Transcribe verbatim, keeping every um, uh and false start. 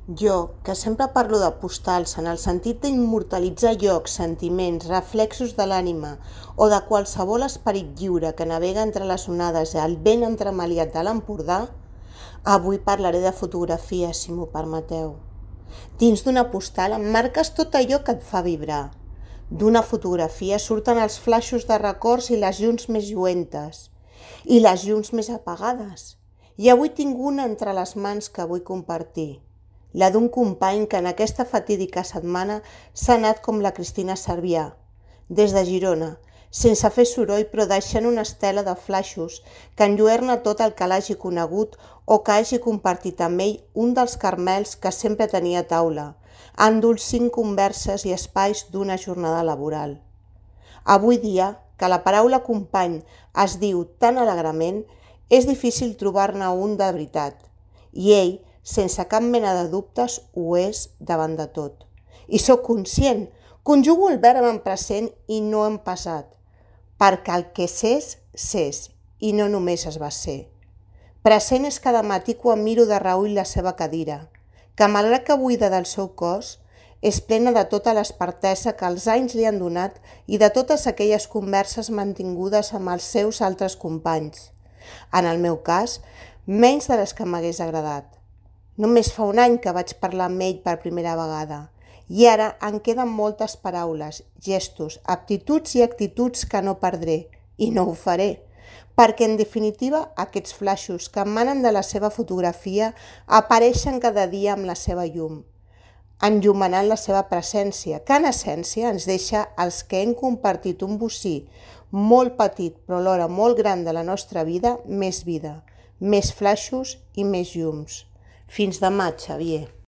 Jo, que sempre parlo de postals en el sentit d'immortalitzar llocs, sentiments, reflexos de l'ànima o de qualsevol esperit lliure que navega entre les onades i el vent entremaliat de l'Empordà, avui parlaré de fotografia, si m'ho permeteu. Dins d'una postal emmarques tot allò que et fa vibrar. D'una fotografia surten els flaixos de records i les llums més lluentes, i les llums més apagades. I avui tinc una entre les mans que vull compartir, la d'un company que en aquesta fatídica setmana s'ha anat com la Cristina Cervià, des de Girona, sense fer soroll però deixant una estela de flaixos que enlluerna tot el que l'hagi conegut o que hagi compartit amb ell un dels carmels que sempre tenia a taula, endolcint converses i espais d'una jornada laboral. Avui dia, que la paraula company es diu tan alegrement, és difícil trobar-ne un de veritat, i ell, sense cap mena de dubtes, ho és davant de tot. I sóc conscient, conjugo el verb en present i no en passat, perquè el que s'és, s'és, i no només es va ser. Present és cada matí quan miro de reüll la seva cadira, que malgrat que buida del seu cos, és plena de tota l'espertesa que els anys li han donat i de totes aquelles converses mantingudes amb els seus altres companys. En el meu cas, menys de les que m'hagués agradat. Només fa un any que vaig parlar amb ell per primera vegada, i ara en queden moltes paraules, gestos, aptituds i actituds que no perdré, i no ho faré, perquè en definitiva aquests flaixos que emanen de la seva fotografia apareixen cada dia amb la seva llum, enllumenant la seva presència, que en essència ens deixa els que hem compartit un bocí molt petit però alhora molt gran de la nostra vida, més vida, més flaixos i més llums. Fins demà, Xavier.